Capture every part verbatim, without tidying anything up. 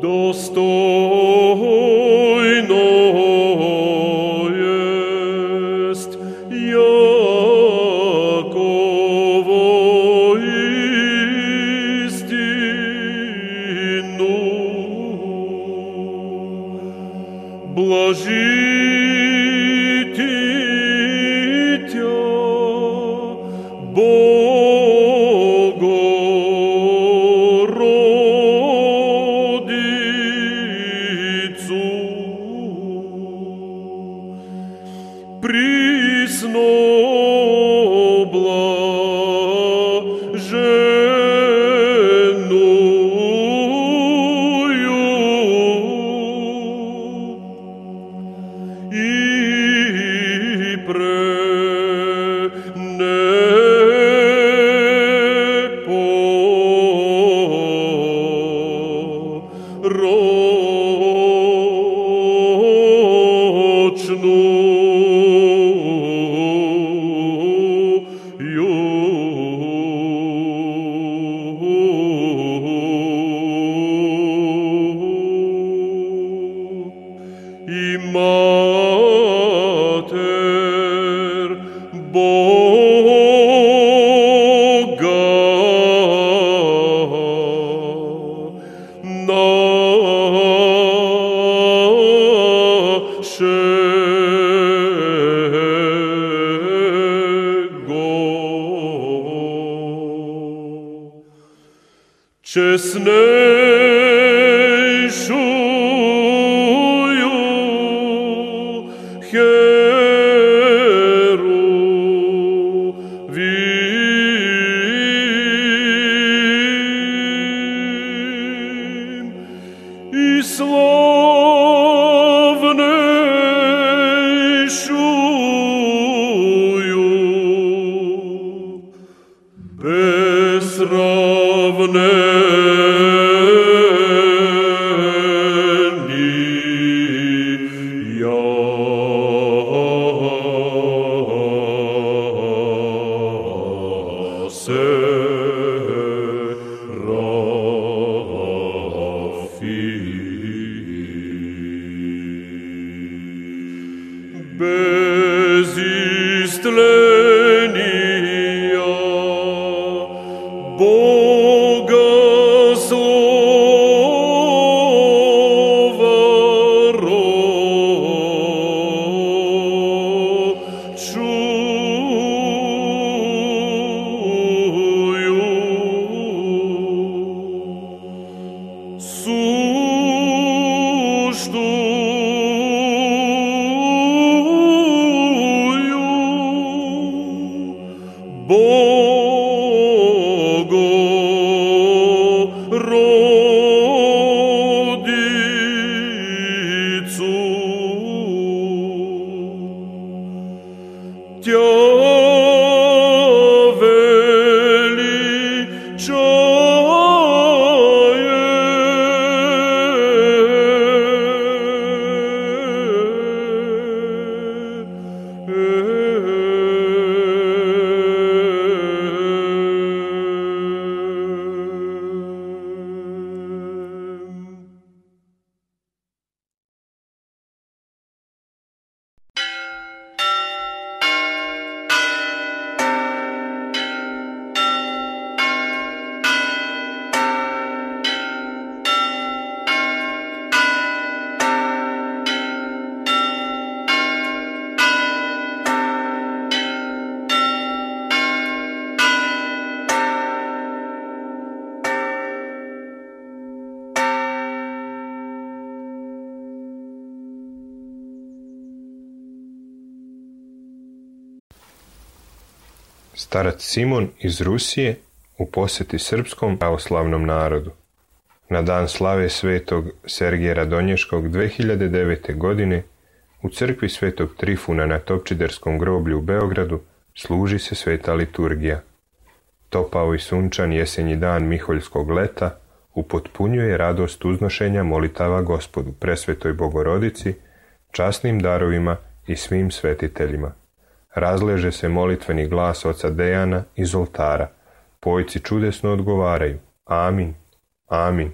dostojno jest Jakovo istinu. Блажити Тя, Богородицу, присно чеснейшую Херувим и славнейшую без истления Богослова рочую, сужду Богородицу, Тя Starac Simon iz Rusije u posjeti srpskom pravoslavnom narodu. Na dan slave svetog Sergija Radonješkog dve hiljade devete. godine u crkvi svetog Trifuna na Topčiderskom groblju u Beogradu služi se sveta liturgija. Topao i sunčan jesenji dan miholjskog leta upotpunjuje radost uznošenja molitava Gospodu, presvetoj Bogorodici, časnim darovima i svim svetiteljima. Razleže se molitveni glas oca Dejana iz oltara. Pojci čudesno odgovaraju: Amin, amin,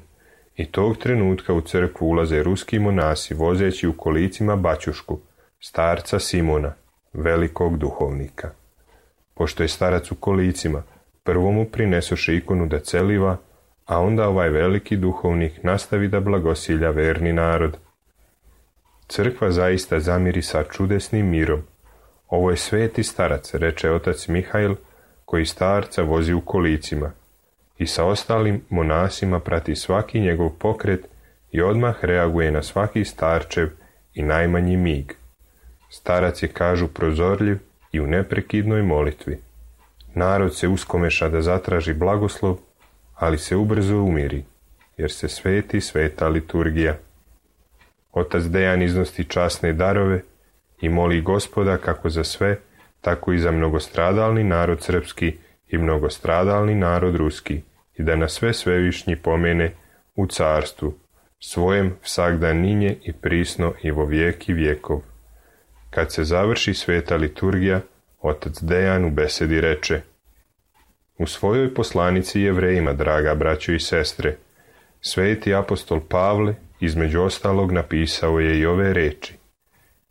I tog trenutka u crkvu ulaze ruski monasi vozeći u kolicima baćušku, starca Simona, velikog duhovnika. Pošto je starac u kolicima, prvo mu prinesoše ikonu da celiva, a onda ovaj veliki duhovnik nastavi da blagosilja verni narod. Crkva zaista zamiri sa čudesnim mirom. Ovo je sveti starac, reče otac Mihajl, koji starca vozi u kolicima i sa ostalim monasima prati svaki njegov pokret i odmah reaguje na svaki starčev i najmanji mig. Starac je, kažu, prozorljiv i u neprekidnoj molitvi. Narod se uskomeša da zatraži blagoslov, ali se ubrzo umiri, jer se sveti sveta liturgija. Otac Dejan iznosti časne darove i moli Gospoda kako za sve, tako i za mnogostradalni narod srpski i mnogostradalni narod ruski, i da nas sve svevišnji pomene u carstvu, svojem vsakdan ninje i prisno i vo vijeki vjekov. Kad se završi sveta liturgija, otac Dejan u besedi reče: U svojoj poslanici Jevrejima, draga braćo i sestre, sveti apostol Pavle između ostalog napisao je i ove reči: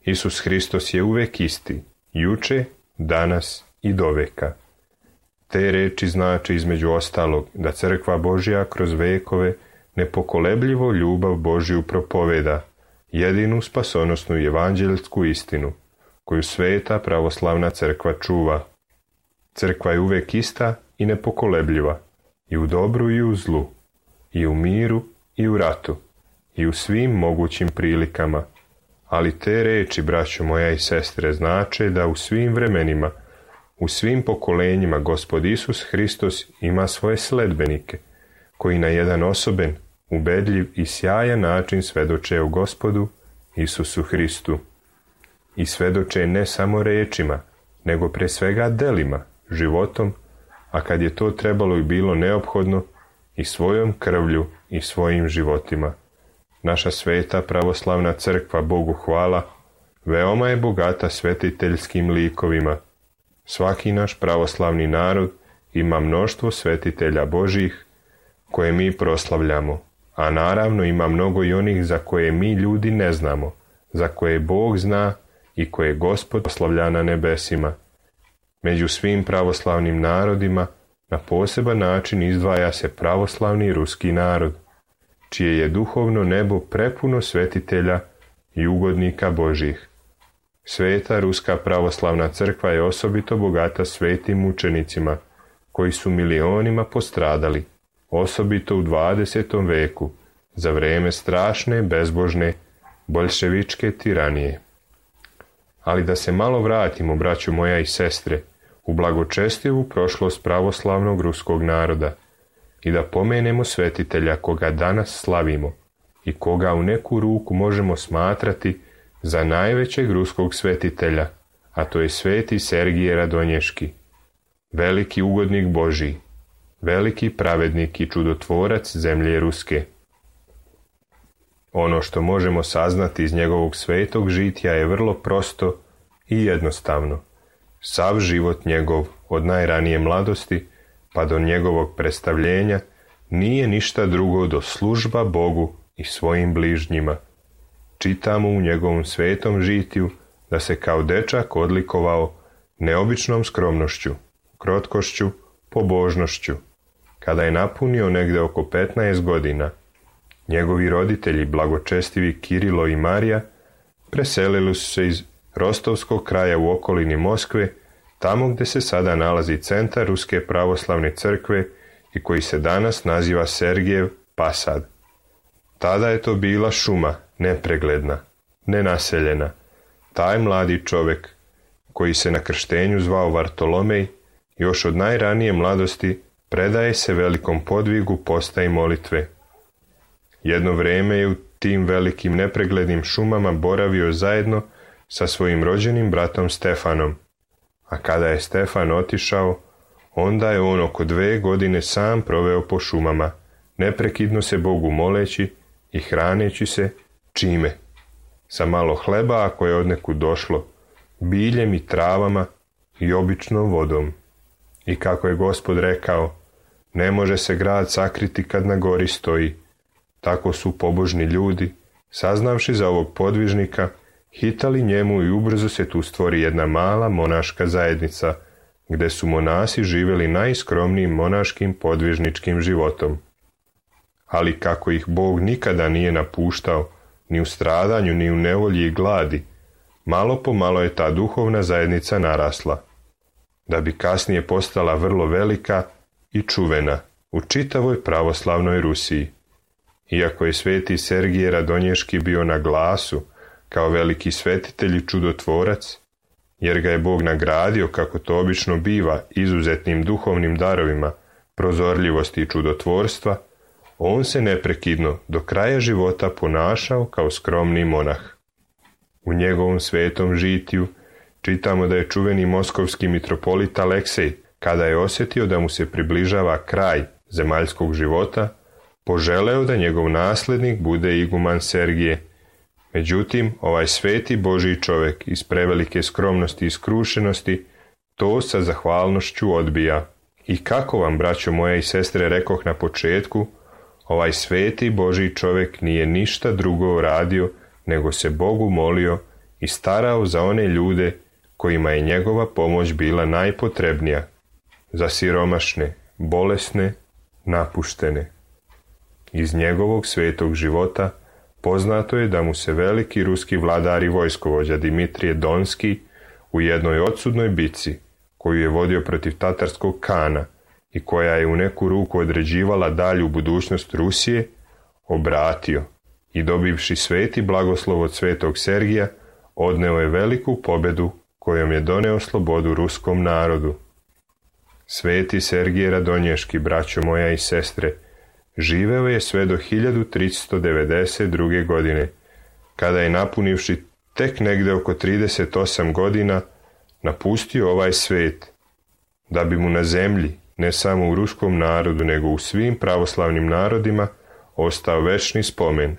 Isus Hristos je uvek isti, juče, danas i doveka. Te reči znači između ostalog da crkva Božja kroz vekove nepokolebljivo ljubav Božju propoveda, jedinu spasonosnu i evanđelsku istinu, koju sveta pravoslavna crkva čuva. Crkva je uvek ista i nepokolebljiva, i u dobru i u zlu, i u miru i u ratu, i u svim mogućim prilikama. Ali te reči, braćo moja i sestre, znače da u svim vremenima, u svim pokolenjima Gospod Isus Hristos ima svoje sledbenike, koji na jedan osoben, ubedljiv i sjajan način svedoče o Gospodu Isusu Hristu. I svedoče ne samo rečima, nego pre svega delima, životom, a kad je to trebalo i bilo neophodno, i svojom krvlju i svojim životima. Naša sveta pravoslavna crkva, Bogu hvala, veoma je bogata svetiteljskim likovima. Svaki naš pravoslavni narod ima mnoštvo svetitelja Božjih koje mi proslavljamo, a naravno ima mnogo i onih za koje mi ljudi ne znamo, za koje Bog zna i koje Gospod proslavlja na nebesima. Među svim pravoslavnim narodima na poseban način izdvaja se pravoslavni ruski narod, čije je duhovno nebo prepuno svetitelja i ugodnika Božjih. Sveta ruska pravoslavna crkva je osobito bogata svetim mučenicima, koji su milionima postradali, osobito u dvadesetom veku, za vreme strašne, bezbožne, boljševičke tiranije. Ali da se malo vratimo, braćo moja i sestre, u blagočestivu prošlost pravoslavnog ruskog naroda i da pomenemo svetitelja koga danas slavimo i koga u neku ruku možemo smatrati za najvećeg ruskog svetitelja, a to je sveti Sergije Radonješki, veliki ugodnik Božji, veliki pravednik i čudotvorac zemlje ruske. Ono što možemo saznati iz njegovog svetog žitja je vrlo prosto i jednostavno. Sav život njegov, od najranije mladosti pa do njegovog predstavljenja, nije ništa drugo do služba Bogu i svojim bližnjima. Čitamo u njegovom svetom žitiju da se kao dečak odlikovao neobičnom skromnošću, krotkošću, pobožnošću. Kada je napunio negde oko petnaest godina, njegovi roditelji, blagočestivi Kirilo i Marija, preselili su se iz Rostovskog kraja u okolini Moskve, tamo gde se sada nalazi centar Ruske pravoslavne crkve i koji se danas naziva Sergijev Pasad. Tada je to bila šuma, nepregledna, nenaseljena. Taj mladi čovek, koji se na krštenju zvao Vartolomej, još od najranije mladosti predaje se velikom podvigu posta i molitve. Jedno vreme je u tim velikim nepreglednim šumama boravio zajedno sa svojim rođenim bratom Stefanom, a kada je Stefan otišao, onda je on oko dve godine sam proveo po šumama, neprekidno se Bogu moleći i hraneći se čime? Sa malo hleba ako je odnekud došlo, biljem i travama i običnom vodom. I kako je Gospod rekao, ne može se grad sakriti kad na gori stoji, Tako su pobožni ljudi, saznavši za ovog podvižnika, hitali njemu i ubrzo se tu stvori jedna mala monaška zajednica, gde su monasi živjeli najskromnijim monaškim podvižničkim životom. Ali kako ih Bog nikada nije napuštao, ni u stradanju, ni u nevolji i gladi, malo po malo je ta duhovna zajednica narasla, da bi kasnije postala vrlo velika i čuvena u čitavoj pravoslavnoj Rusiji. Iako je sveti Sergije Radonješki bio na glasu kao veliki svetitelj i čudotvorac, jer ga je Bog nagradio, kako to obično biva, izuzetnim duhovnim darovima, prozorljivosti i čudotvorstva, on se neprekidno do kraja života ponašao kao skromni monah. U njegovom svetom žitiju čitamo da je čuveni moskovski mitropolit Aleksej, kada je osjetio da mu se približava kraj zemaljskog života, poželeo da njegov naslednik bude iguman Sergije. Međutim, ovaj sveti Božji čovjek iz prevelike skromnosti i skrušenosti to sa zahvalnošću odbija. I kako vam, braćo moja i sestre, rekoh na početku, ovaj sveti Božji čovjek nije ništa drugo radio nego se Bogu molio i starao za one ljude kojima je njegova pomoć bila najpotrebnija, za siromašne, bolesne, napuštene. Iz njegovog svetog života poznato je da mu se veliki ruski vladar i vojskovođa Dimitrije Donski u jednoj odsudnoj bici, koju je vodio protiv tatarskog kana i koja je u neku ruku određivala dalju budućnost Rusije, obratio i dobivši sveti blagoslov od svetog Sergija, odneo je veliku pobedu kojom je doneo slobodu ruskom narodu. Sveti Sergije Radonješki, braćo moja i sestre, živeo je sve do hiljadu tristo devedeset druge. godine, kada je, napunivši tek negde oko trideset osam godina, napustio ovaj svet, da bi mu na zemlji, ne samo u ruskom narodu, nego u svim pravoslavnim narodima, ostao večni spomen,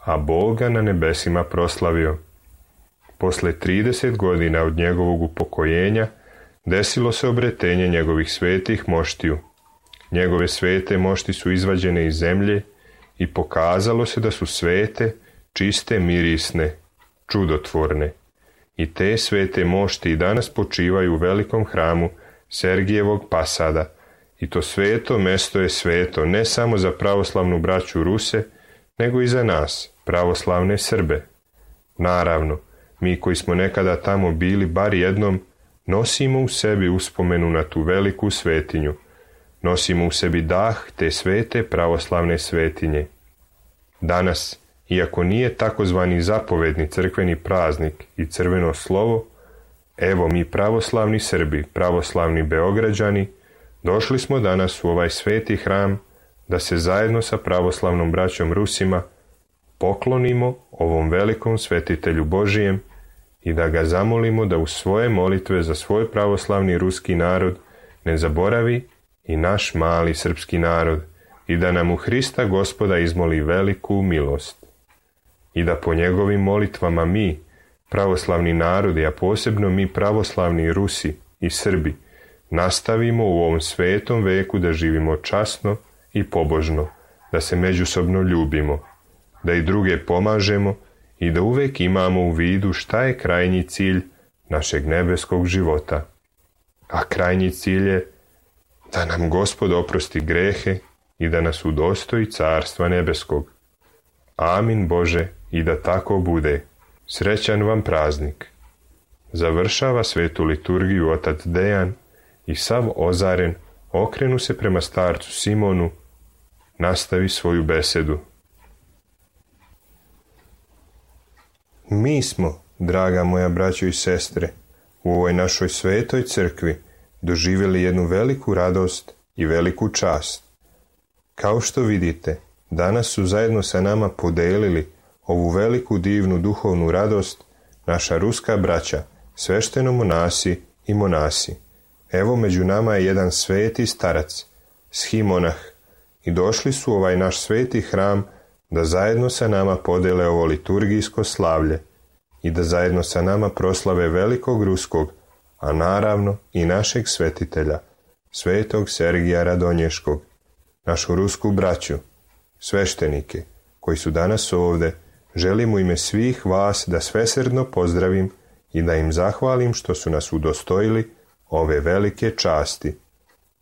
a Boga na nebesima proslavio. Posle trideset godina od njegovog upokojenja desilo se obretenje njegovih svetih moštiju. Njegove svete mošti su izvađene iz zemlje i pokazalo se da su svete, čiste, mirisne, čudotvorne. I te svete mošti i danas počivaju u velikom hramu Sergijevog Pasada, i to sveto mesto je sveto ne samo za pravoslavnu braću Ruse, nego i za nas, pravoslavne Srbe. Naravno, mi koji smo nekada tamo bili bar jednom, nosimo u sebi uspomenu na tu veliku svetinju, nosimo u sebi dah te svete pravoslavne svetinje. Danas, iako nije takozvani zapovedni crkveni praznik i crveno slovo, evo mi pravoslavni Srbi, pravoslavni Beograđani, došli smo danas u ovaj sveti hram da se zajedno sa pravoslavnom braćom Rusima poklonimo ovom velikom svetitelju Božijem i da ga zamolimo da u svoje molitve za svoj pravoslavni ruski narod ne zaboravi i naš mali srpski narod i da nam u Hrista Gospoda izmoli veliku milost. I da po njegovim molitvama mi, pravoslavni narodi, a posebno mi pravoslavni Rusi i Srbi, nastavimo u ovom svetom veku da živimo časno i pobožno, da se međusobno ljubimo, da i druge pomažemo i da uvek imamo u vidu šta je krajnji cilj našeg nebeskog života. A krajnji cilj je da nam Gospod oprosti grehe i da nas udostoji carstva nebeskog. Amin Bože, i da tako bude. Srećan vam praznik. Završava svetu liturgiju otac Dejan i sav ozaren okrenu se prema starcu Simonu, nastavi svoju besedu. Mi smo, draga moja braćo i sestre, u ovoj našoj svetoj crkvi doživjeli jednu veliku radost i veliku čast. Kao što vidite, danas su zajedno sa nama podelili ovu veliku divnu duhovnu radost naša ruska braća, svešteno monasi i monasi. Evo među nama je jedan sveti starac, schimonah, i došli su u ovaj naš sveti hram da zajedno sa nama podele ovo liturgijsko slavlje i da zajedno sa nama proslave velikog ruskog, a naravno i našeg svetitelja, svetog Sergija Radonješkog, našu rusku braću, sveštenike, koji su danas ovde, želim u ime svih vas da svesrdno pozdravim i da im zahvalim što su nas udostojili ove velike časti.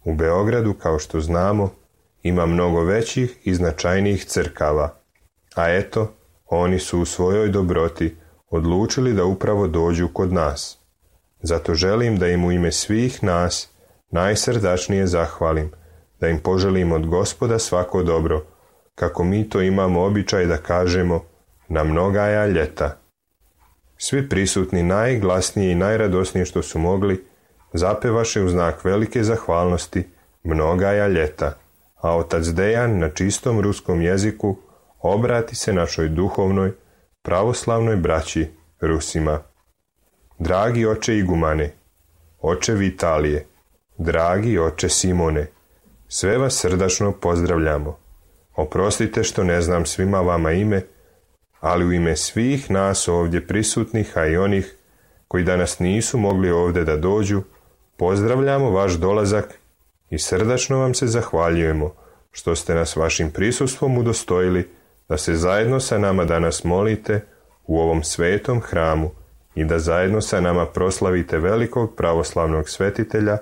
U Beogradu, kao što znamo, ima mnogo većih i značajnijih crkava, a eto, oni su u svojoj dobroti odlučili da upravo dođu kod nas. Zato želim da im u ime svih nas najsrdačnije zahvalim, da im poželim od Gospoda svako dobro, kako mi to imamo običaj da kažemo, na mnogaja ljeta. Svi prisutni najglasnije i najradosnije što su mogli, zapevaše u znak velike zahvalnosti mnogaja ljeta, a otac Dejan na čistom ruskom jeziku obrati se našoj duhovnoj, pravoslavnoj braći Rusima. Dragi oče Igumane, oče Vitalije, dragi oče Simone, sve vas srdačno pozdravljamo. Oprostite što ne znam svima vama ime, ali u ime svih nas ovdje prisutnih, a i onih koji danas nisu mogli ovdje da dođu, pozdravljamo vaš dolazak i srdačno vam se zahvaljujemo što ste nas vašim prisustvom udostojili da se zajedno sa nama danas molite u ovom svetom hramu i da zajedno sa nama proslavite velikog pravoslavnog svetitelja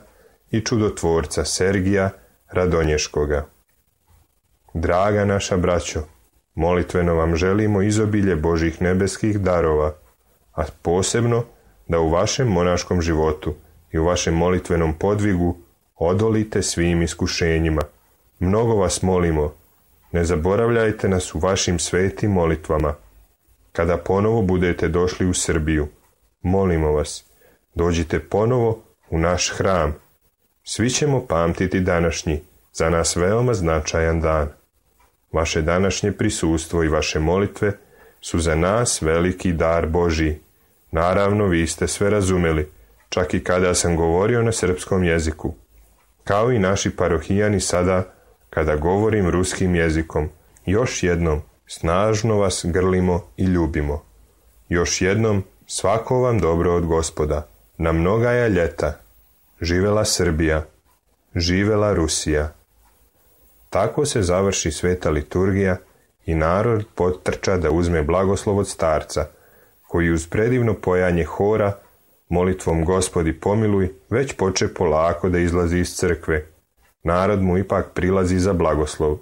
i čudotvorca Sergija Radonješkoga. Draga naša braćo, molitveno vam želimo izobilje Božih nebeskih darova, a posebno da u vašem monaškom životu i u vašem molitvenom podvigu odolite svim iskušenjima. Mnogo vas molimo, ne zaboravljajte nas u vašim svetim molitvama. Kada ponovo budete došli u Srbiju, molimo vas, dođite ponovo u naš hram. Svi ćemo pamtiti današnji, za nas veoma značajan dan. Vaše današnje prisustvo i vaše molitve su za nas veliki dar Božji. Naravno, vi ste sve razumeli, čak i kada sam govorio na srpskom jeziku. Kao i naši parohijani sada, kada govorim ruskim jezikom, još jednom snažno vas grlimo i ljubimo. Još jednom svako vam dobro od Gospoda, na mnogaja ljeta. Živela Srbija, živela Rusija. Tako se završi sveta liturgija i narod potrča da uzme blagoslov od starca, koji uz predivno pojanje hora, molitvom Gospodi pomiluj, već poče polako da izlazi iz crkve. Narod mu ipak prilazi za blagoslov.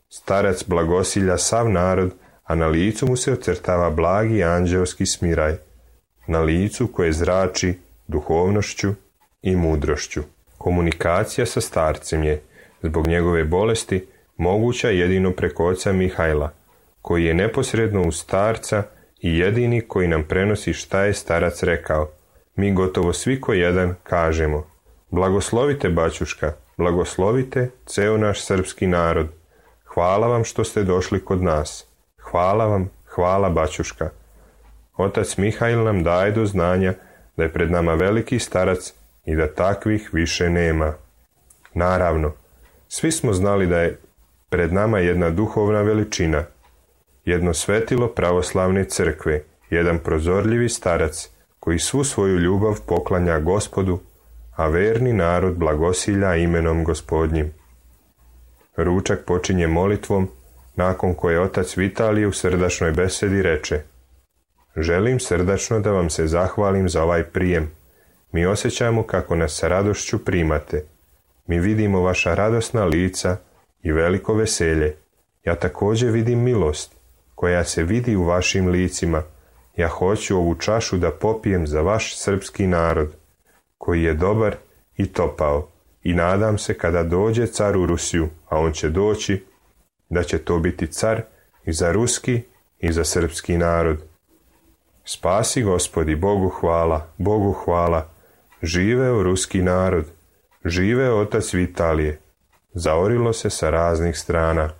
Starac blagosilja sav narod, a na licu mu se ocrtava blagi anđeoski smiraj, na licu koje zrači duhovnošću i mudrošću. Komunikacija sa starcem je, zbog njegove bolesti, moguća jedino preko oca Mihajla, koji je neposredno uz starca i jedini koji nam prenosi šta je starac rekao. Mi gotovo svi ko jedan kažemo: blagoslovite baćuška, blagoslovite ceo naš srpski narod. Hvala vam što ste došli kod nas. Hvala vam, hvala baćuška. Otac Mihajl nam daje do znanja da je pred nama veliki starac i da takvih više nema. Naravno, svi smo znali da je pred nama jedna duhovna veličina, jedno svetilo pravoslavne crkve, jedan prozorljivi starac koji svu svoju ljubav poklanja Gospodu, a verni narod blagosilja imenom Gospodnjim. Ručak počinje molitvom, nakon koje otac Vitalije u srdačnoj besedi reče: želim srdačno da vam se zahvalim za ovaj prijem. Mi osjećamo kako nas sa radošću primate. Mi vidimo vaša radosna lica i veliko veselje. Ja također vidim milost koja se vidi u vašim licima. Ja hoću ovu čašu da popijem za vaš srpski narod, koji je dobar i topao, i nadam se kada dođe car u Rusiju, a on će doći, da će to biti car i za ruski i za srpski narod. Spasi Gospodi, Bogu hvala, Bogu hvala, živeo ruski narod, živeo otac Vitalije. Zaorilo se sa raznih strana.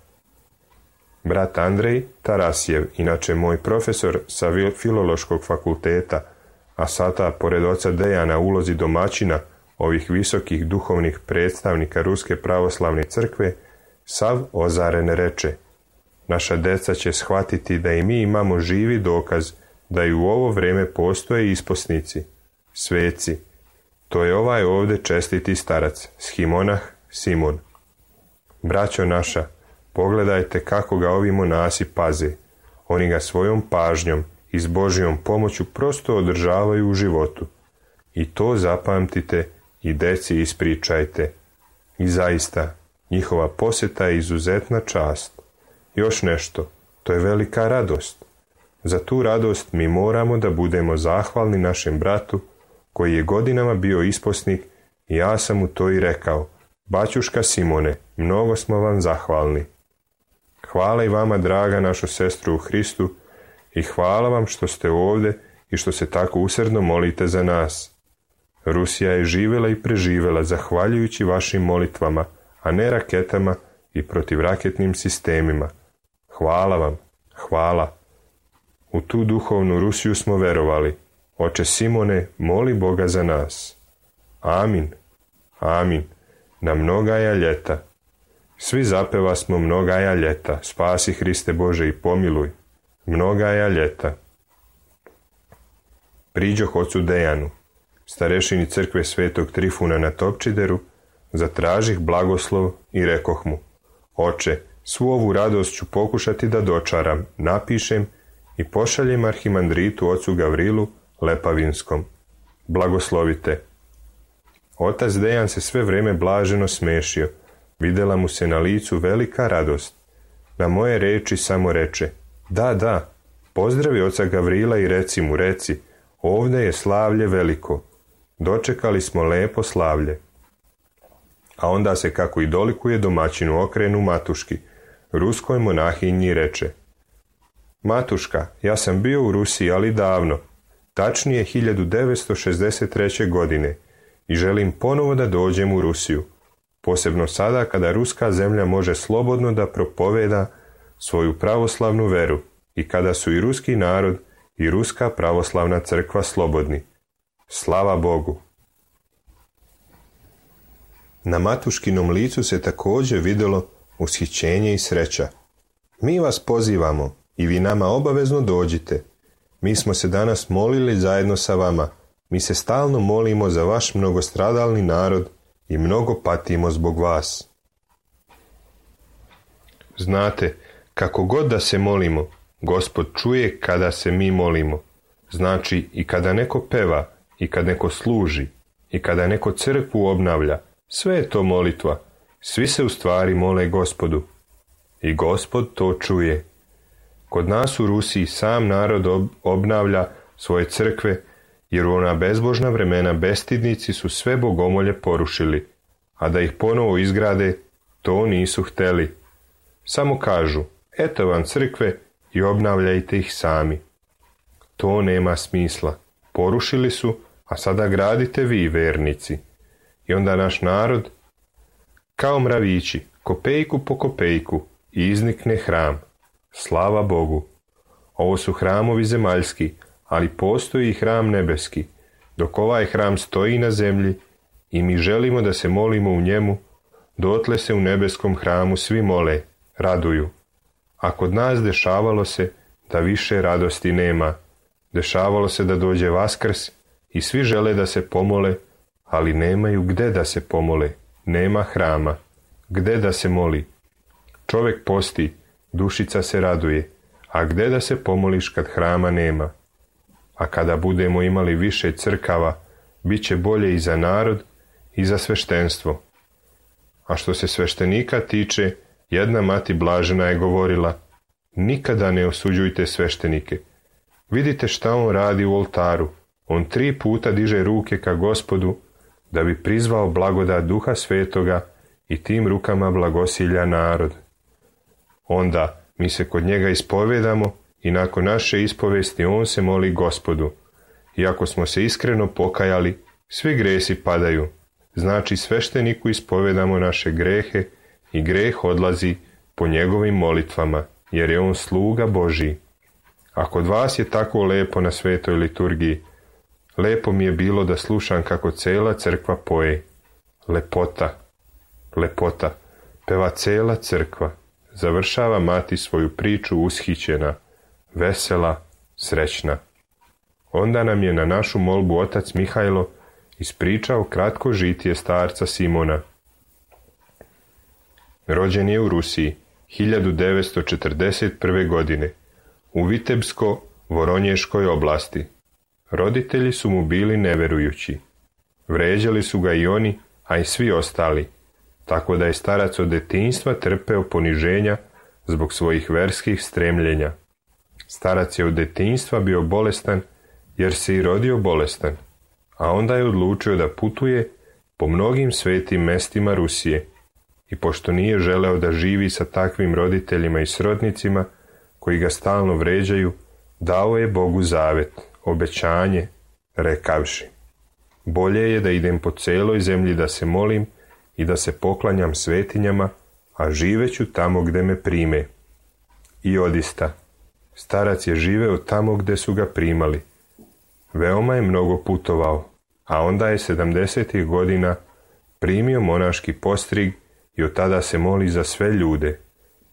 Brat Andrej Tarasjev, inače moj profesor sa Filološkog fakulteta, a sada pored oca Dejana u ulozi domaćina ovih visokih duhovnih predstavnika Ruske pravoslavne crkve, sav ozaren reče: naša deca će shvatiti da i mi imamo živi dokaz da i u ovo vrijeme postoje isposnici, sveci. To je ovaj ovdje čestiti starac, shimonah Simon. Braćo naša, Pogledajte kako ga ovi monasi paze. Oni ga svojom pažnjom i s Božjom pomoću prosto održavaju u životu. I to zapamtite i deci ispričajte. I zaista, njihova posjeta je izuzetna čast. Još nešto, to je velika radost. Za tu radost mi moramo da budemo zahvalni našem bratu, koji je godinama bio isposnik, i ja sam mu to i rekao. Baćuška Simone, mnogo smo vam zahvalni. Hvala i vama, draga naša sestru u Hristu, i hvala vam što ste ovdje i što se tako usrdno molite za nas. Rusija je živjela i preživjela zahvaljujući vašim molitvama, a ne raketama i protivraketnim sistemima. Hvala vam, hvala. U tu duhovnu Rusiju smo verovali. Oče Simone, moli Boga za nas. Amin, amin. Na mnogaja ljeta. Svi zapeva smo mnogaja ljeta. Spasi Hriste Bože i pomiluj. Mnogaja ljeta. Priđoh ocu Dejanu, starešini crkve Svetog Trifuna na Topčideru, zatražih blagoslov i rekoh mu: Oče, svu ovu radost ću pokušati da dočaram, napišem i pošaljem arhimandritu ocu Gavrilu Lepavinskom. Blagoslovite. Otac Dejan se sve vrijeme blaženo smešio. Vidjela mu se na licu velika radost. Na moje reči samo reče: Da, da, pozdravi oca Gavrila i reci mu, reci, ovdje je slavlje veliko. Dočekali smo lepo slavlje. A onda se, kako i dolikuje domaćinu, okrenu Matuški, ruskoj monahinji, reče: Matuška, ja sam bio u Rusiji, ali davno, tačnije hiljadu devetsto šezdeset treće. godine, i želim ponovo da dođem u Rusiju, posebno sada kada ruska zemlja može slobodno da propoveda svoju pravoslavnu veru i kada su i ruski narod i ruska pravoslavna crkva slobodni. Slava Bogu! Na Matuškinom licu se također vidjelo ushićenje i sreća. Mi vas pozivamo i vi nama obavezno dođite. Mi smo se danas molili zajedno sa vama. Mi se stalno molimo za vaš mnogostradalni narod i mnogo patimo zbog vas. Znate, kako god da se molimo, Gospod čuje kada se mi molimo. Znači i kada neko peva, i kad neko služi, i kada neko crkvu obnavlja, sve je to molitva. Svi se u stvari mole Gospodu. I Gospod to čuje. Kod nas u Rusiji sam narod ob- obnavlja svoje crkve, jer u ona bezbožna vremena bestidnici su sve bogomolje porušili, a da ih ponovo izgrade, to nisu hteli. Samo kažu: eto vam crkve i obnavljajte ih sami. To nema smisla. Porušili su, a sada gradite vi, vernici. I onda naš narod, kao mravići, kopejku po kopejku, iznikne hram. Slava Bogu! Ovo su hramovi zemaljski, ali postoji i hram nebeski. Dok ovaj hram stoji na zemlji i mi želimo da se molimo u njemu, dotle se u nebeskom hramu svi mole, raduju. A kod nas dešavalo se da više radosti nema. Dešavalo se da dođe Vaskrs i svi žele da se pomole, ali nemaju gde da se pomole. Nema hrama. Gde da se moli? Čovjek posti, dušica se raduje, a gde da se pomoliš kad hrama nema? A kada budemo imali više crkava, bit će bolje i za narod i za sveštenstvo. A što se sveštenika tiče, jedna mati blažena je govorila: nikada ne osuđujte sveštenike. Vidite šta on radi u oltaru. On tri puta diže ruke ka Gospodu da bi prizvao blagodat Duha Svetoga i tim rukama blagosilja narod. Onda mi se kod njega ispovedamo i nakon naše ispovesti on se moli Gospodu. I ako smo se iskreno pokajali, svi gresi padaju. Znači svešteniku ispovedamo naše grehe i greh odlazi po njegovim molitvama, jer je on sluga Božji. A kod vas je tako lepo na svetoj liturgiji. Lepo mi je bilo da slušam kako cela crkva poje. Lepota, lepota, peva cela crkva. Završava mati svoju priču ushićena, vesela, srećna. Onda nam je na našu molbu otac Mihajlo ispričao kratko žitije starca Simona. Rođen je u Rusiji, hiljadu devetsto četrdeset prve. godine u Vitebsko-Voronješkoj oblasti. Roditelji su mu bili neverujući. Vređali su ga i oni, a i svi ostali, tako da je starac od detinjstva trpeo poniženja zbog svojih verskih stremljenja. Starac je od detinjstva bio bolestan jer se i rodio bolestan, a onda je odlučio da putuje po mnogim svetim mestima Rusije i pošto nije želeo da živi sa takvim roditeljima i srodnicima koji ga stalno vređaju, dao je Bogu zavet, obećanje, rekavši: bolje je da idem po celoj zemlji da se molim i da se poklanjam svetinjama, a živeću tamo gde me prime. I odista, starac je živeo tamo gde su ga primali. Veoma je mnogo putovao, a onda je sedamdesetih godina primio monaški postrig i od tada se moli za sve ljude.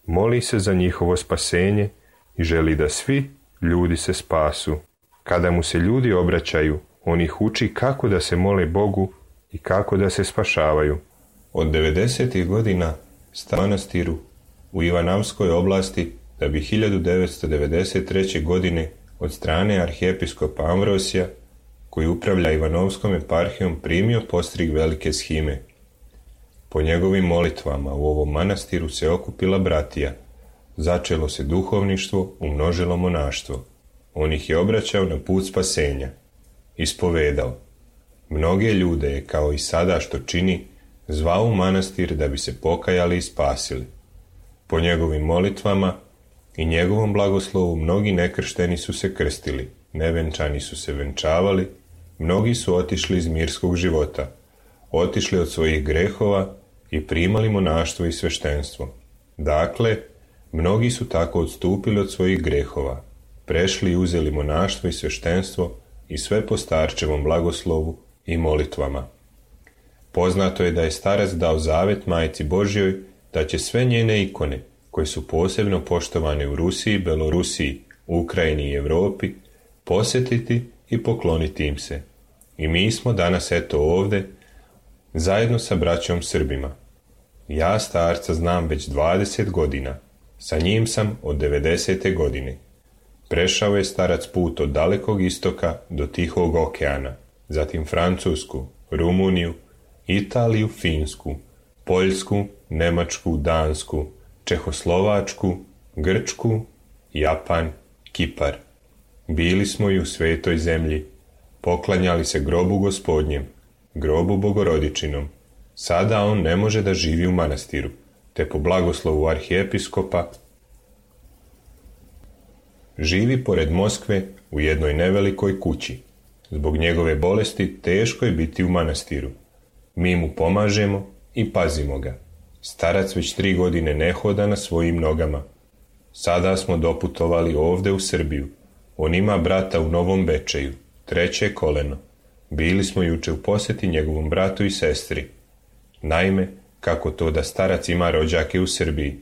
Moli se za njihovo spasenje i želi da svi ljudi se spasu. Kada mu se ljudi obraćaju, on ih uči kako da se mole Bogu i kako da se spašavaju. Od devedesetih godina sta u manastiru u Ivanavskoj oblasti, da bi hiljadu devetsto devedeset treće. godine od strane arhijepiskopa Amvrosija, koji upravlja Ivanovskom eparhijom, primio postrig velike shime. Po njegovim molitvama u ovom manastiru se okupila bratija, začelo se duhovništvo, umnožilo monaštvo. On ih je obraćao na put spasenja, ispovedao. Mnoge ljude je, kao i sada što čini, zvao u manastir da bi se pokajali i spasili. Po njegovim molitvama i njegovom blagoslovu mnogi nekršteni su se krstili, nevenčani su se venčavali, mnogi su otišli iz mirskog života, otišli od svojih grehova i primali monaštvo i sveštenstvo. Dakle, mnogi su tako odstupili od svojih grehova, prešli i uzeli monaštvo i sveštenstvo i sve po starčevom blagoslovu i molitvama. Poznato je da je starac dao zavet Majci Božjoj da će sve njene ikone, koje su posebno poštovane u Rusiji, Belorusiji, Ukrajini i Evropi, posjetiti i pokloniti im se. I mi smo danas eto ovde, zajedno sa braćom Srbima. Ja starca znam već dvadeset godina, sa njim sam od devedesete. godine. Prešao je starac put od dalekog istoka do Tihog okeana, zatim Francusku, Rumuniju, Italiju, Finsku, Poljsku, Nemačku, Dansku, Čehoslovačku, Grčku, Japan, Kipar. Bili smo i u svetoj zemlji, poklanjali se grobu Gospodnjem, grobu Bogorodičinom. Sada on ne može da živi u manastiru, te po blagoslovu arhijepiskopa živi pored Moskve u jednoj nevelikoj kući. Zbog njegove bolesti teško je biti u manastiru. Mi mu pomažemo i pazimo ga. Starac već tri godine ne hoda na svojim nogama. Sada smo doputovali ovde u Srbiju. On ima brata u Novom Bečeju, treće koleno. Bili smo juče u posjeti njegovom bratu i sestri. Naime, kako to da starac ima rođake u Srbiji?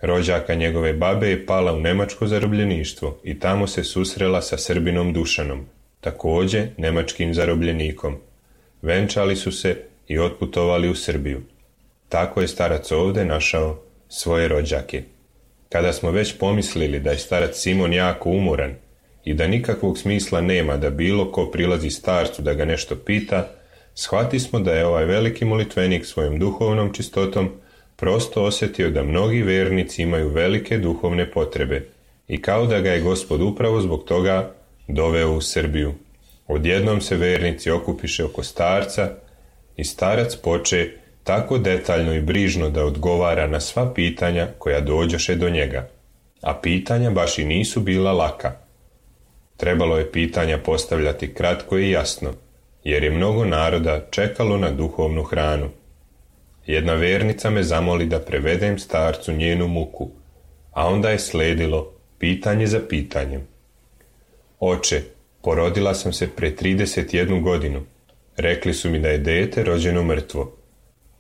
Rođaka njegove babe je pala u nemačko zarobljeništvo i tamo se susrela sa Srbinom Dušanom, takođe nemačkim zarobljenikom. Venčali su se i otputovali u Srbiju. Tako je starac ovde našao svoje rođake. Kada smo već pomislili da je starac Simon jako umoran i da nikakvog smisla nema da bilo ko prilazi starcu da ga nešto pita, shvati smo da je ovaj veliki molitvenik svojom duhovnom čistotom prosto osjetio da mnogi vernici imaju velike duhovne potrebe i kao da ga je Gospod upravo zbog toga doveo u Srbiju. Odjednom se vernici okupiše oko starca i starac poče tako detaljno i brižno da odgovara na sva pitanja koja dođoše do njega. A pitanja baš i nisu bila laka. Trebalo je pitanja postavljati kratko i jasno, jer je mnogo naroda čekalo na duhovnu hranu. Jedna vernica me zamoli da prevedem starcu njenu muku, a onda je sledilo pitanje za pitanjem. Oče, porodila sam se pre trideset jednu godinu. Rekli su mi da je dete rođeno mrtvo.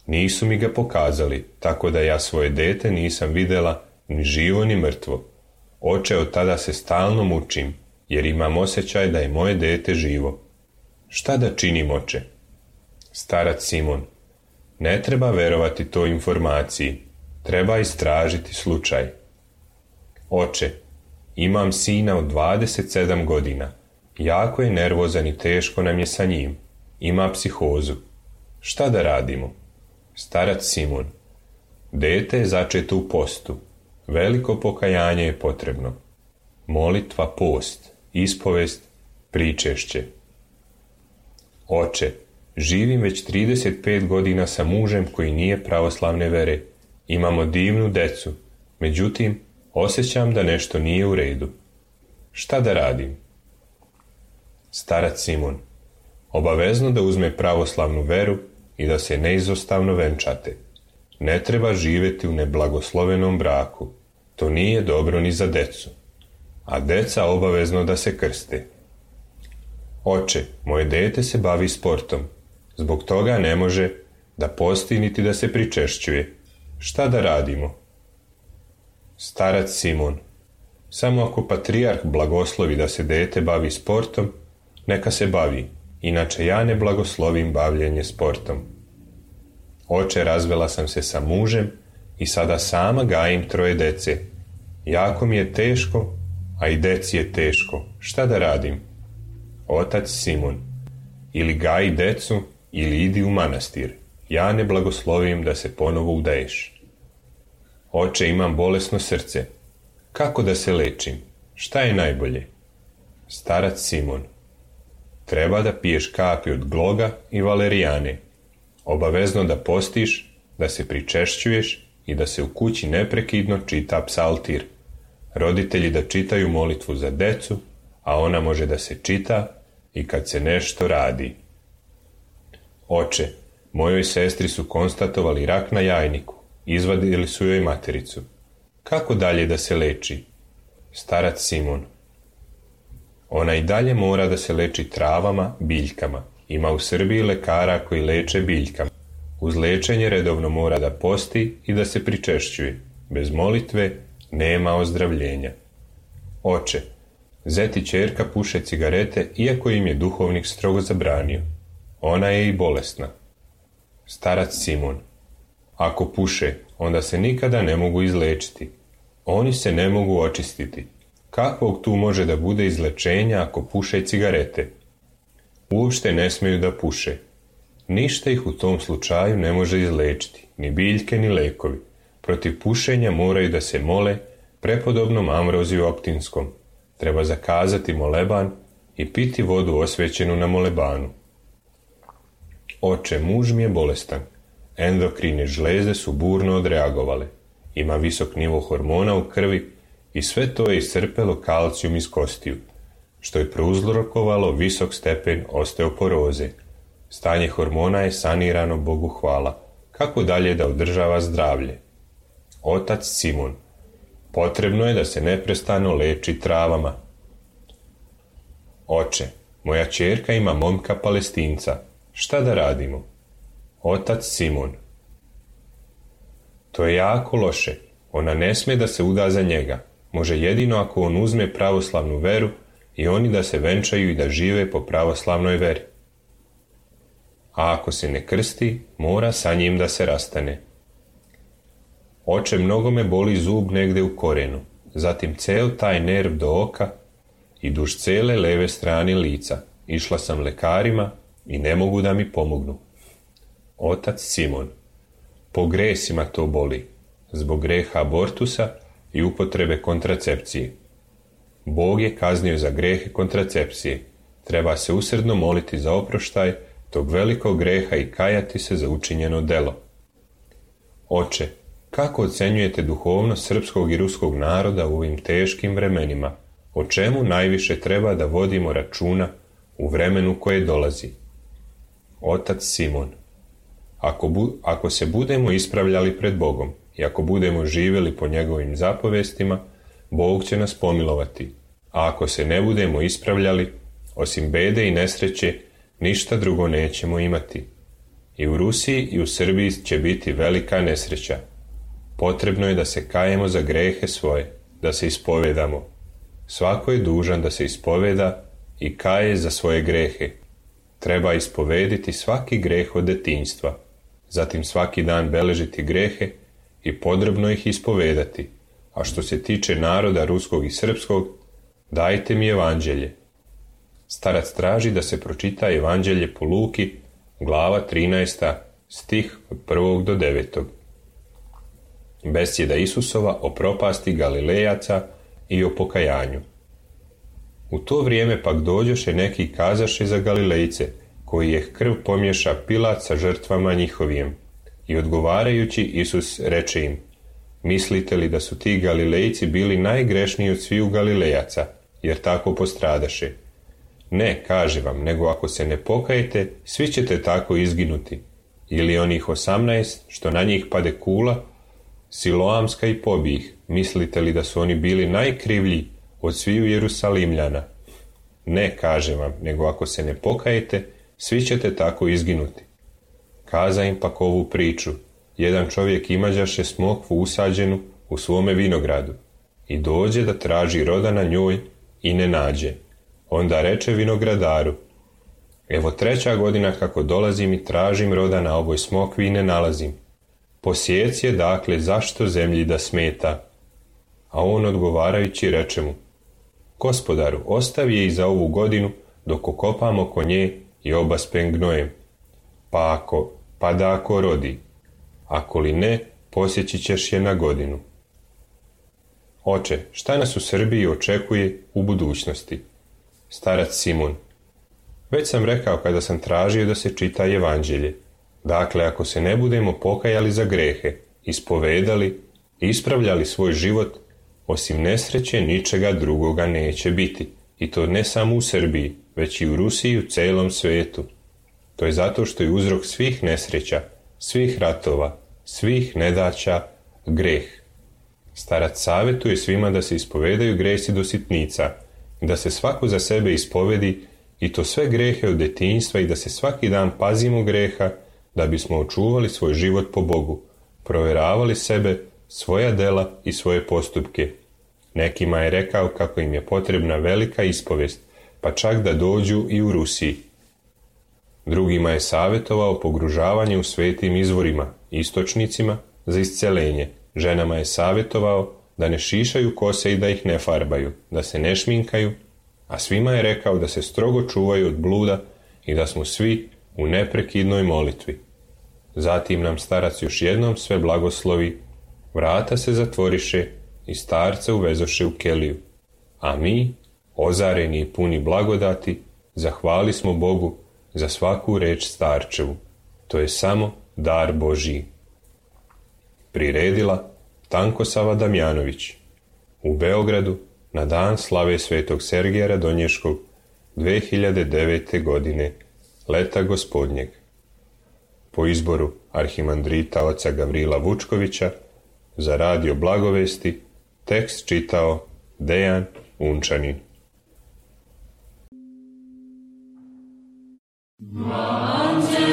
Nisu mi ga pokazali, tako da ja svoje dete nisam videla ni živo ni mrtvo. Oče, od tada se stalno mučim, jer imam osjećaj da je moje dete živo. Šta da činim, oče? Starac Simon: ne treba verovati toj informaciji. Treba istražiti slučaj. Oče, imam sina od dvadeset sedam godina. Jako je nervozan i teško nam je sa njim. Ima psihozu. Šta da radimo? Starac Simon. Dete je začeto u postu. Veliko pokajanje je potrebno. Molitva, post, ispovest, pričešće. Oče, živim već trideset pet godina sa mužem koji nije pravoslavne vere. Imamo divnu decu, međutim, osjećam da nešto nije u redu. Šta da radim? Starac Simon. Obavezno da uzme pravoslavnu veru i da se neizostavno venčate. Ne treba živjeti u neblagoslovenom braku. To nije dobro ni za decu. A deca obavezno da se krste. Oče, moje dete se bavi sportom. Zbog toga ne može da posti niti da se pričešćuje. Šta da radimo? Starac Simon. Samo ako patrijarh blagoslovi da se dete bavi sportom, neka se bavi, inače ja ne blagoslovim bavljenje sportom. Oče, razvela sam se sa mužem i sada sama gajim troje dece. Jako mi je teško, a i deci je teško. Šta da radim? Otac Simon. Ili gaji decu, ili idi u manastir. Ja ne blagoslovim da se ponovo udaješ. Oče, imam bolesno srce. Kako da se lečim? Šta je najbolje? Starac Simon. Treba da piješ kapi od gloga i valerijane. Obavezno da postiš, da se pričešćuješ i da se u kući neprekidno čita psaltir. Roditelji da čitaju molitvu za decu, a ona može da se čita i kad se nešto radi. Oče, mojoj sestri su konstatovali rak na jajniku. Izvadili su joj matericu. Kako dalje da se leči? Starac Simon. Ona i dalje mora da se leči travama, biljkama. Ima u Srbiji lekara koji leče biljkama. Uz lečenje redovno mora da posti i da se pričešćuje. Bez molitve nema ozdravljenja. Oče, zet i ćerka puše cigarete iako im je duhovnik strogo zabranio. Ona je i bolesna. Starac Simon. Ako puše, onda se nikada ne mogu izlečiti. Oni se ne mogu očistiti. Kakvog tu može da bude izlečenja ako puše cigarete? Uopšte ne smeju da puše. Ništa ih u tom slučaju ne može izlečiti, ni biljke, ni lekovi. Protiv pušenja moraju da se mole prepodobnom Ambroziju Optinskom. Treba zakazati moleban i piti vodu osvećenu na molebanu. Oče, muž mi je bolestan. Endokrine žleze su burno odreagovale. Ima visok nivo hormona u krvi i sve to je iscrpelo kalcijum iz kostiju, što je prouzrokovalo visok stepen osteoporoze. Stanje hormona je sanirano, Bogu hvala. Kako dalje da održava zdravlje? Otac Simon. Potrebno je da se neprestano leči travama. Oče, moja ćerka ima momka Palestinca. Šta da radimo? Otac Simon. To je jako loše. Ona ne sme da se uda za njega. Može jedino ako on uzme pravoslavnu veru i oni da se venčaju i da žive po pravoslavnoj veri. A ako se ne krsti, mora sa njim da se rastane. Oče, mnogo me boli zub negde u korenu, zatim cel taj nerv do oka i duž cele leve strane lica. Išla sam lekarima i ne mogu da mi pomognu. Otac Simon. Po gresima to boli, zbog greha abortusa i upotrebe kontracepcije. Bog je kaznio za grehe kontracepcije. Treba se usrdno moliti za oproštaj tog velikog greha i kajati se za učinjeno delo. Oče, kako ocenjujete duhovnost srpskog i ruskog naroda u ovim teškim vremenima? O čemu najviše treba da vodimo računa u vremenu koje dolazi? Otac Simon. Ako, bu, ako se budemo ispravljali pred Bogom i ako budemo živjeli po njegovim zapovestima, Bog će nas pomilovati. A ako se ne budemo ispravljali, osim bede i nesreće, ništa drugo nećemo imati. I u Rusiji i u Srbiji će biti velika nesreća. Potrebno je da se kajemo za grehe svoje, da se ispovedamo. Svako je dužan da se ispoveda i kaje za svoje grehe. Treba ispovediti svaki greh od detinjstva, zatim svaki dan beležiti grehe i podrobno ih ispovedati, a što se tiče naroda ruskog i srpskog, dajte mi evanđelje. Starac traži da se pročita evanđelje po Luki, glava trinaesta, stih od prvog do devetog. Besjeda Isusova o propasti Galilejaca i o pokajanju. U to vrijeme pak dođoše neki kazaše za Galilejce, koji je krv pomješa Pilat sa žrtvama njihovijem. I odgovarajući Isus reče im, mislite li da su ti Galilejci bili najgrešniji od sviju Galilejaca, jer tako postradaše? Ne, kaže vam, nego ako se ne pokajete, svi ćete tako izginuti. Ili onih osamnaest, što na njih pade kula, Siloamska i pobih, mislite li da su oni bili najkrivlji od sviju Jerusalimljana? Ne, kaže vam, nego ako se ne pokajete, svi ćete tako izginuti. Kaza im pak ovu priču. Jedan čovjek imađaše smokvu usađenu u svome vinogradu i dođe da traži roda na njoj i ne nađe. Onda reče vinogradaru, evo treća godina kako dolazim i tražim roda na ovoj smokvi i ne nalazim. Posjec je dakle zašto zemlji da smeta? A on odgovarajući reče mu, gospodaru, ostavi je i za ovu godinu dok okopam oko nje i obaspem gnojem. Pa ako, pa da ako rodi, ako li ne, posjeći ćeš je na godinu. Oče, šta nas u Srbiji očekuje u budućnosti? Starac Simun. Već sam rekao kada sam tražio da se čita evanđelje. Dakle, ako se ne budemo pokajali za grehe, ispovedali, ispravljali svoj život, osim nesreće ničega drugoga neće biti. I to ne samo u Srbiji, već i u Rusiji i u celom svetu. To je zato što je uzrok svih nesreća, svih ratova, svih nedaća, greh. Starac savjetuje svima da se ispovedaju gresi do sitnica, da se svako za sebe ispovedi i to sve grehe od detinjstva i da se svaki dan pazimo greha da bismo očuvali svoj život po Bogu, provjeravali sebe, svoja dela i svoje postupke. Nekima je rekao kako im je potrebna velika ispovest, pa čak da dođu i u Rusiji. Drugima je savjetovao pogružavanje u svetim izvorima, istočnicima, za isceljenje. Ženama je savjetovao da ne šišaju kose i da ih ne farbaju, da se ne šminkaju, a svima je rekao da se strogo čuvaju od bluda i da smo svi u neprekidnoj molitvi. Zatim nam starac još jednom sve blagoslovi, vrata se zatvoriše i starca uvezoše u keliju. A mi, ozareni i puni blagodati, zahvali smo Bogu za svaku reč starčevu. To je samo dar Božji. Priredila Tankosava Damjanović u Beogradu na dan slave svetog Sergeja Radonješkog dve hiljade devete. godine, leta gospodnjeg. Po izboru arhimandrita oca Gavrila Vučkovića za radio Blagovesti tekst čitao Dejan Unčanin. Bože,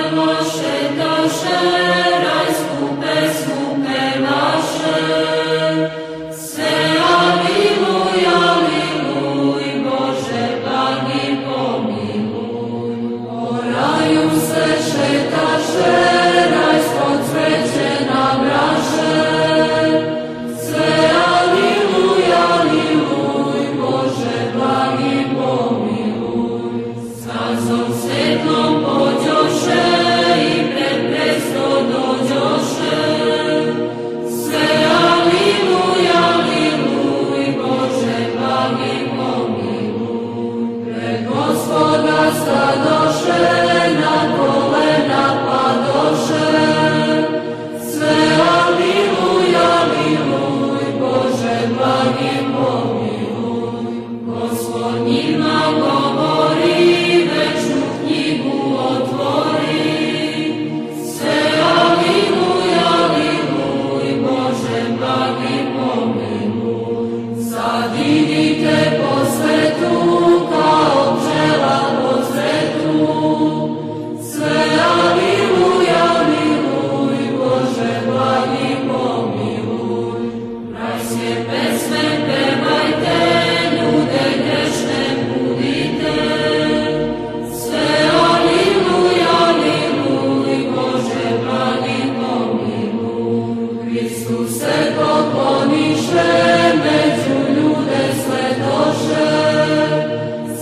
Isuse, pokloniše među ljude svetoše,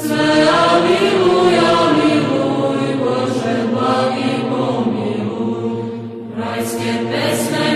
sve amiluj, amiluj, Bože blagi pomiluj, rajske pesme